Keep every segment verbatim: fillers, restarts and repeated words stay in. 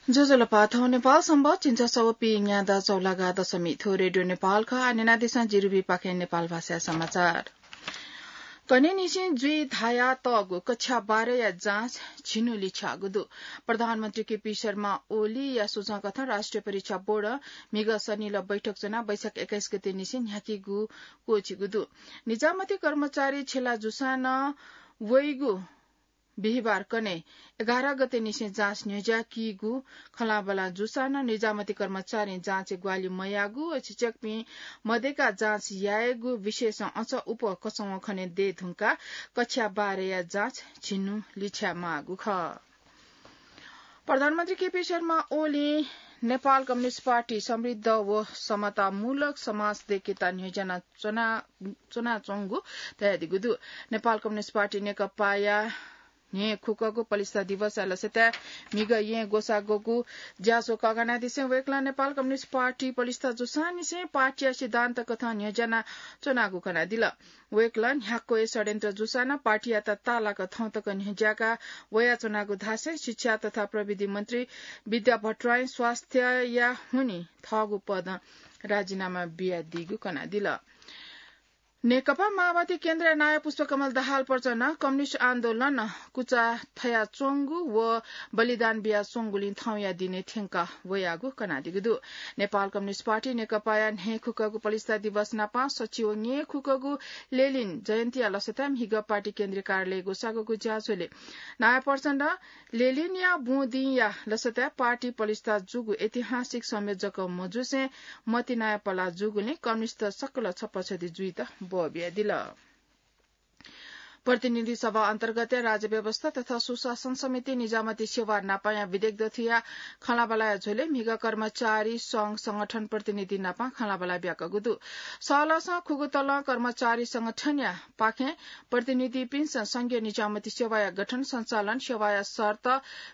ज्वजलपा, थौं नेपाल संवत् झिंछसः व पीन्यादँ चौलागा दशमी। थ्व रेडियो नेपाल खः। आः न्यनादिसँ जिरुबीपाखें नेपाल भाषाया समाचार। कन्हय्‌निसें जुइ धायातःगु कक्षा बाह्रया जाँच झिन्हु लिछ्याःगु दु। प्रधानमन्त्री केपी शर्मा ओलीया सुझाव कथं राष्ट्रिय परीक्षा बोर्डं म्हिगः सनिलय् बैठक च्वनाः वैशाख एक्काइस गतेनिसें न्ह्याकीगु क्वःछिगु दु। निजामती कर्मचारी छेला जूसां नं वइगु बिहिबार कन्हय् एघार गतेनिसें जाँच न्ह्यज्याकीगु खँल्हाबल्हा जूसां नं निजामती कर्मचारीं जाँचय् ग्वाहालि मयाःगु व शिक्षकपिं मदय्काः जाँच यायेगु विषयसं अझ उप कचंवं खने दये धुंकाः कक्षा बाह्रया जाँच झिन्हु लिछ्यायेमाःगु खः। प्रधानमन्त्री केपी शर्मा ओलीं नेपाल कम्युनिस्ट पार्टी समृद्ध व समतामूलक समाज दय्केत न्ह्यज्याना च्वना, च्वनाच्वंगु धयादीगु दु। नेपाल कम्युनिस्ट पार्टी नेकपाया न्हय्‌खुकःगु पलिस्था दिवसया लसताय् म्हिगः येँ ग्वसाः ग्वःगु ज्याझ्वः कःघानादिसें वय्‌कलं नेपाल कम्युनिस्ट पार्टी पलिस्था जूसांनिसें पार्टीया सिद्धान्त कथं न्ह्यज्याना च्वनागु कनादिल। वय्‌कलं न्ह्याक्व हे षड्यन्त्र जूसां नं पार्टीयात ताःलाक थौं तक न्ह्यज्याका वयाच्वनागु धासें शिक्षा तथा प्रविधि मन्त्री विद्या भट्टराईं स्वास्थ्यया हुनिं थःगु पदं राजीनामा बियादीगु कनादिल। नेकपा माओवादी केन्द्रया नायः पुष्पकमल दाहाल प्रचण्डं कम्युनिस्ट आन्दोलनं कुचा थयाच्वंगु व बलिदान बियाच्वंगुलिं थौंया दिनय् थ्यंका वयागु कनादीगु दु। नेपाल कम्युनिस्ट पार्टी नेकपाया न्हय्‌खुकःगु पलिस्था दिवस नापं सच्छि व न्यय्‌खुकःगु लेलिन जयन्तीया लसताय् म्हिगः पार्टी केन्द्रीय कार्यालय ग्वसाः ग्वःगु ज्याझ्वलय् नायः प्रचण्डं लेलिनया बुँ दिंया लसताय् पार्टी पलिस्था जूगु ऐतिहासिक संयोजक मजूसें मतिनाया पलाः जूगुलिं कम्युनिस्ट सकल छप्पछति जुइत बः बियादिल। प्रतिनिधि सभा अन्तर्गतया राज्य व्यवस्था तथा सुशासन समिति, निजामती सेवा नापंया विधेयक दथुया खँल्हाबल्हाया झ्वलय् म्हिगः कर्मचारी संघ संगठन प्रतिनिधि नापं खँल्हाबल्हा ब्याकःगु दु। सहलहसं खुगू तलं कर्मचारी संगठनया पाखें प्रतिनिधिपिन्सं संघीय निजामती सेवाया गठन, सञ्चालन, सेवाया शर्त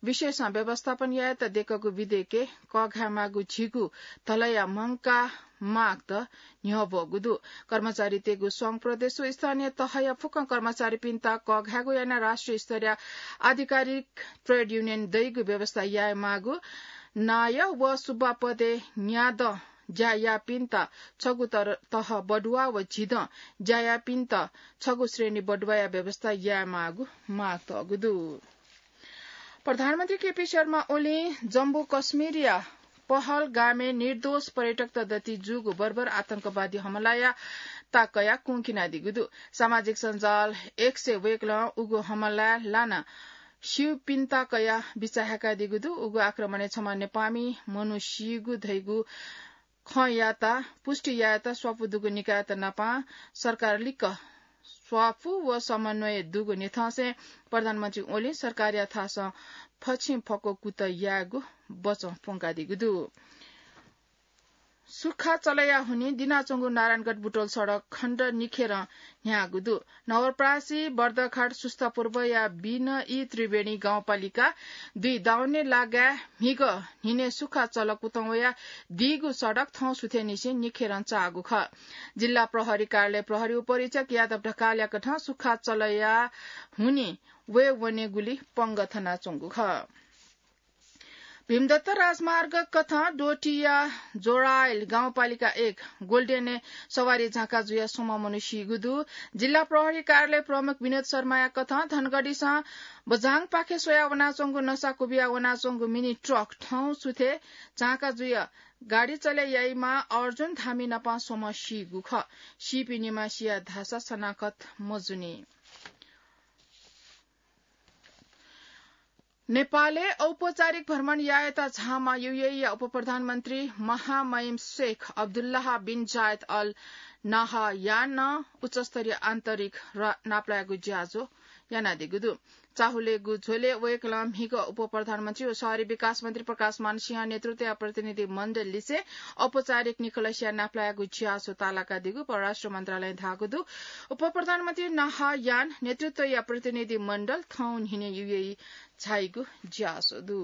विषयसं व्यवस्थापन यायेत दय्कःगु विधेयकय् कःघायेमाःगु झिगू तलया मंकाः मागत न्ह्यब्वःगु दु। कर्मचारीतय्गु संघ प्रदेश व स्थानीय तहया फुक्कं कर्मचारीपिन्त कःघायेगु यानाः राष्ट्रिय स्तरया आधिकारिक ट्रेड युनियन दइगु व्यवस्था यायेमाःगु, नायः व सुब्बा पदय् न्यादँ ज्या याःपिन्त छगू तर-, तह बढुवा व झिदँ ज्या याःपिन्त छगू श्रेणी बढुवाया व्यवस्था यायेमाःगु माग तःगु दु। प्रधानमन्त्री केपी शर्मा ओलीं जम्मू कश्मीरया पहलगामय् निर्दोष पर्यटकत दति जूगु बर्बर आतंकवादी हमलाया ताक कयाः कुंखिनादीगु दु। सामाजिक सञ्जाल X-य् वय्कलं उगु हमलाय् लाना स्यूपिन्त कयाः बिचाः हाय्कादीगु दु। उगु आक्रमणय् छम्ह नेपाःमि मनू सीगु धइगु खँयात पुष्टि यायेत स्वापू दुगु निकायत नापं सरकार लिक्क स्वापू व समन्वय दुगु न्ह्यथंसें प्रधानमन्त्री ओलीं सरकारया थासं फछिं फक्व कुतः यायेगु बचं प्वंकादीगु दु। सुखा चलया हुनिं दिनाच्वंगु नारायणगढ बुटोल सडक खण्ड निखेरं न्ह्याःगु दु। नवलपरासी, बर्दघाट, सुस्तापुर्वया बिनई त्रिवेणी गाउँपालिका दुई दाउने लागाय् म्हिगः न्हिनय् सुखा चल कुतः वयाः दीगु सडक थौं सुथय्निसें निखेरं चाःगु खः। जिल्ला प्रहरी कार्यालय प्रहरी उपरीक्षक यादव ढकालया कथं सुखा चलया हुनिं वये वनेगुली पंगः थनाच्वंगु खः। भीमदत्त राजमार्ग कथं डोटीया जोडाइल गाउँपालिका एक गोल्डेनय् सवारी झाँका जुयाः स्वम्ह मनू सीगु दु। जिल्ला प्रहरी कार्यालय प्रमुख विनोद शर्माया कथं धनगढीसं बझाङपाखे स्वयाः वनाच्वंगु नसा क्वबिया वनाच्वंगु मिनी ट्रक थौं सुथय् झाँका जुयाः गाडी चले याइम्ह अर्जुन धामी नापं स्वम्ह सीगु खः। सीपिं निम्ह सिया धाःसा सनाखत मजूनि। नेपालय् औपचारिक भ्रमण यायेत झाःम्ह UAE-या उपप्रधानमन्त्री महामहिम शेख अब्दुल्लाह बिन जायद अल नाहयानं उच्चस्तरीय आन्तरिक र नापलायेगु ज्याझ्वः यानादीगु दु। चाहुलेगु झ्वलय् वय्कलं म्हिगः उपप्रधानमन्त्री व शहरी विकास मन्त्री प्रकाशमान सिंह नेतृत्वया प्रतिनिधि मण्डल लिसे औपचारिक निखलसया नापलायेगु ज्याझ्वः ताःलाकादीगु परराष्ट्र मन्त्रालयं धाःगु दु। उपप्रधानमन्त्री नाहयान नेतृत्वया प्रतिनिधि मण्डल थौं न्हिनय् UAE झाइगु ज्याझ्वः दु।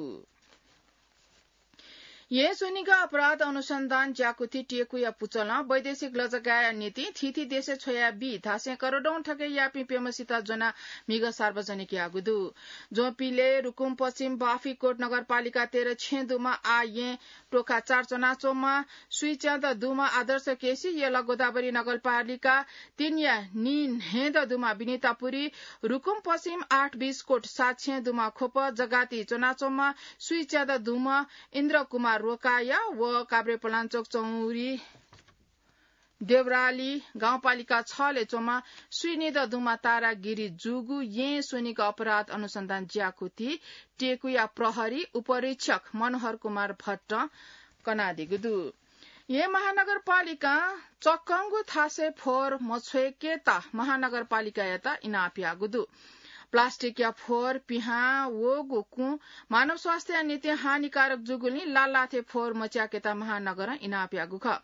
येँ स्वनिगः अपराध अनुसन्धान ज्याकुथि टेकुया पुचलं वैदेशिक लजगाःया निंतिं थीथी देशय् छ्वया बी धासें करोडौं ठगय् याःपिं प्यम्हसित ज्वनाः म्हिगः सार्वजनिक याःगु दु। ज्वंपिले रुकुम पश्चिम बाफिकोट नगरपालिका तेह्र छेँ दुम्ह आः येँ टोखा चार च्वनाच्वंम्ह स्वीच्यादँ दुम्ह आदर्श केसी, यल गोदावरी नगरपालिका तीनया नीन्हय्दँ दुम्ह विनिता पुरी, रुकुम पश्चिम आठ बिसकोट सात छेँ दुम्ह ख्वप जगाती च्वनाच्वंम्ह स्वीच्यादँ दुम्ह इन्द्र कुमार रोकाया व काभ्रेपलाञ्चोक चौरी देवराली गाउँपालिका छले च्वंम्ह स्वीनिदँ दुम्ह तारा गिरी जूगु येँ स्वनिगः अपराध अनुसन्धान ज्याकुथि टेकुया प्रहरी उपरीक्षक मनोहर कुमार भट्टं कनादीगु दु। येँ महानगरपालिकां चक्कंगु थासय् फोहोर मछ्वय्केत महानगरपालिकायात इनाप याःगु दु। प्लास्टिकया फोहोर पिहां वःगु कुँ मानव स्वास्थ्यया निंतिं हानिकारक जूगुलिं लालाथे फोहोर मच्याकेत महानगरं इनाप याःगु खः।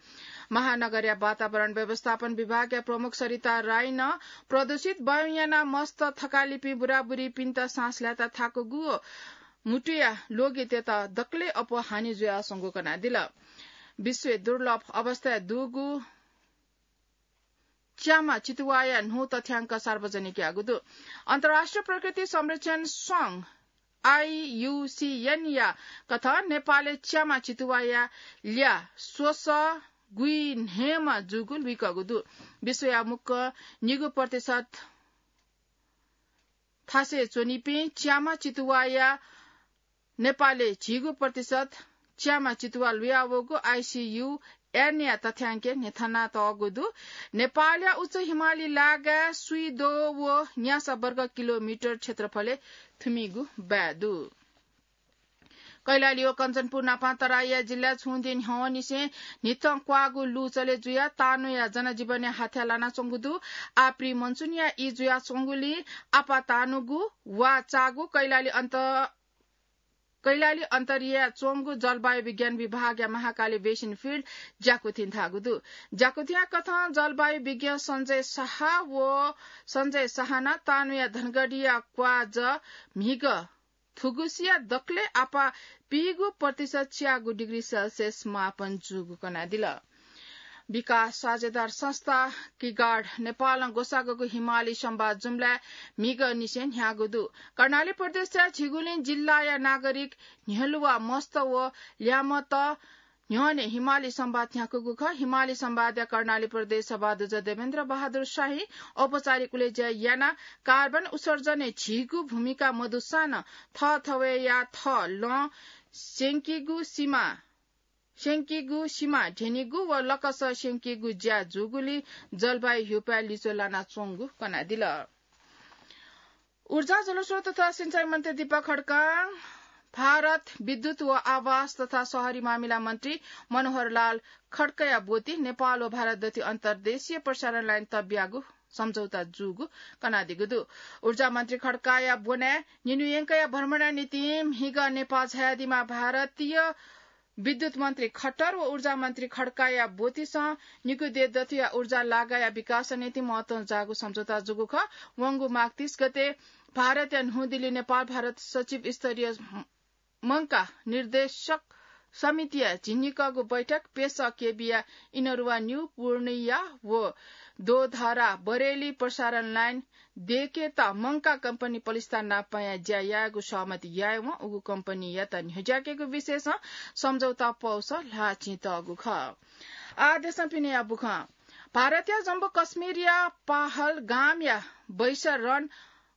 महानगरया वातावरण व्यवस्थापन विभागया प्रमुख सरिता राईनं प्रदूषित वायुं यानाः मस्त थकालिपिं बुराबुरीपिन्त सास ल्हायेत थाकुगु व म्हुतुया लोगितय्त दकलय् अप्वः हानि जुयाच्वंगु कनादिल। विश्वय् दुर्लभ अवस्थाय् दुगु च्यामा चितुवाया न्हू तथ्याङ्क सार्वजनिक याःगु दु। अन्तर्राष्ट्रिय प्रकृति संरक्षण संघ, आइयुसिएनया कथं नेपालय् च्यामा चितुवाया ल्याः स्वसः गुइन्हय्मा जूगु लुइकःगु दु। विश्वया मुक्क निगू प्रतिशत थासय् च्वनीपिं च्यामा चितुवाया नेपालय् झिगू प्रतिशत च्यामा चितुवा लुयावःगु आइसियुएनया तथ्याङ्कय् न्ह्यथनातःगु दु। नेपालया उच्च हिमाली लागाय् स्वीद्वः व न्यासः वर्ग किलोमिटर क्षेत्रफलय् थुमिगु बाय् दु। कैलाली व कञ्चनपुर नापं तराईया जिल्लाय् छुं दिं न्ह्यवंनिसें न्हिथं क्वाःगु लु चले जुयाः तानुया जनजीवनय् हाथ्या लानाच्वंगु दु। आप्री मनसुनया ई जुयाच्वंगुलिं आपाः तानुगु वा चाःगु कैलाली अन्त कैलाली अन्तर्या च्वंगु जलवायु विज्ञान विभागया महाकाली बेसिन फिल्ड ज्याकुथिं धाःगु दु। ज्याकुथिया कथं जलवायु विज्ञ सञ्जय शाह व सञ्जय शाहनं तानुया धनगढीया क्वाःजः म्हिगः थुगुसिया दकलय् आपाः पीगु प्रतिशत च्यागू डिग्री सेल्सियस मापन जूगु कनादिल। विकास साझेदार संस्था किगार्ड नेपालं ग्वसाःगु हिमाली संवाद जुम्लाय् म्हिगःनिसें न्ह्याःगु दु। कर्णाली प्रदेशया झिगुलिं जिल्लाया नागरिक न्ह्यलुवा मस्त व ल्यामत न्ह्यःने हिमाली संवाद न्ह्याकूगु खः। हिमाली संवादया कर्णाली प्रदेश सभादुज देवेन्द्र बहादुर शाहीं औपचारिक उलेज्या यानाः कार्बन उत्सर्जनय् झीगु भूमिका मदुसां नं थःथवय्या थः लँ स्यंकीगु सिमा स्यंकीगु सिमा ध्यनीगु व लकस स्यंकीगु ज्या जूगुलिं जलवायु ह्यूपाय् लिच्वः लानाच्वंगु कनादिल। ऊर्जा, जलस्रोत तथा सिंचाई मन्त्री दीपक खड्कां भारत विद्युत व आवास तथा शहरी मामिला मन्त्री मनोहर लाल खड्काया ब्वति नेपाल व भारत दथुइ अन्तर्देशीय प्रसारण लाइन तब्याःगु सम्झौता जूगु कनादीगु दु। ऊर्जा मन्त्री खड्काया ब्वनाय् निन्हु यंकया भ्रमणया निंतिं म्हिगः नेपाल झायादीम्ह भारतीय विद्युत मन्त्री खट्टर व ऊर्जा मन्त्री खड्काया ब्वतिसं निकू देय् दथुया ऊर्जा लागाया विकासया निंतिं महत्वं जाःगु सम्झौता जूगु खः। वंगु माघ तीस गते भारतया न्हू दिल्ली नेपाल भारत सचिव स्तरीय मंका निर्देशक समितिया झिंनिकःगु बैठक पेसः केबीया इनरुवा न्यू पूर्णिया व दोधरा बरेली प्रसारण लाइन दयेकेत मंका कम्पनी पलिस्था नापंया ज्या यायेगु सहमति यायेवं उगु कम्पनीयात न्ह्यज्याकेगु विषयसं सम्झौता पौसः ल्हाःचिं तःगु खः। आः देशं पिनेया बुखँ। भारतया जम्मू कश्मीरया पहलगामया बैसरन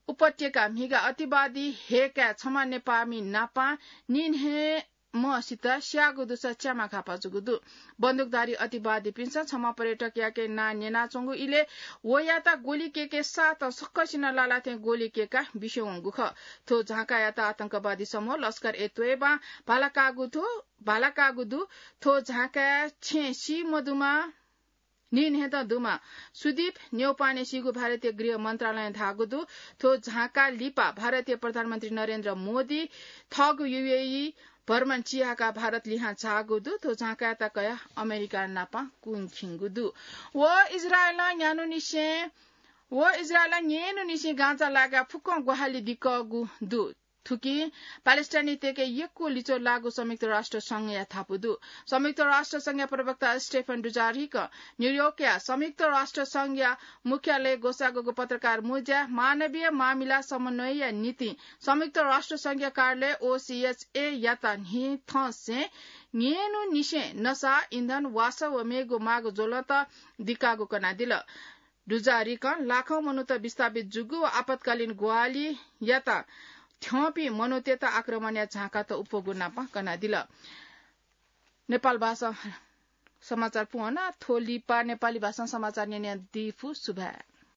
उपत्यका म्हिगः अतिवादी हय्काय् छम्ह नेपाःमि नापां निन्हय्म्हसित स्याःगु दुसा च्यामा घाःपाः जूगु दु। बन्दुकधारी अतिवादीपिन्सं छम्ह पर्यटकयाके नां न्यनाच्वंगु इलय् वयात ग्वलि कय्के साथं सकसिनं लालाथें ग्वलि कय्काः बिस्युं वंगु खः। थ्व झांकायात आतंकवादी समूह लस्कर ए तोयबां भाला काःगु थ्व, भाला काःगु दु। थ्व झांकाय् छेँ सी मदुम्ह निन्हय्दँ दुम्ह सुदीप न्यौपाने सीगु भारतीय गृह मन्त्रालयं धाःगु दु। थ्व झांका लिपा भारतीय प्रधानमन्त्री नरेन्द्र मोदी थःगु यूएई भ्रमण चिहाकः भारत लिहां झाःगु दु। थ्व झांकायात कयाः अमेरिका नाप कुंखिंगु दु। व इजरायलं न्यान्हुनिसें, व इजरायलं न्येन्हुनिसें गाजा लागाय् फुक्कं ग्वाहालि दिकःगु दु। थुकिं प्यालेस्टाइनीतय्‌के यक्व लिच्वः लाःगु संयुक्त राष्ट्र संघया धापू दु। संयुक्त राष्ट्र संघया प्रवक्ता स्टेफन डुजारिक न्यूयोर्कया संयुक्त राष्ट्र संघया मुख्यालय ग्वसाःगु पत्रकार मुँज्याय् मानवीय मामिला समन्वयया निंतिं संयुक्त राष्ट्र संघया कार्यालय ओसीएचए यात न्हि थंसे न्येन्हुनिसें नसा, इन्धन, वासः व मेगु माग ज्वलंत दिकाःगु कनादिल। डुजारिकं लाखौं मनूत विस्थापित जूगु व आपतकालीन ग्वाहालियात थ्यंपिं मनूतय्‌त आक्रमणया झाँकात उप्वःगु नापं कनादिल। नेपाल भाषा समाचार पूवना। थ्व लिपा नेपाली भाषां समाचार न्यनादी फु। सुभाय्।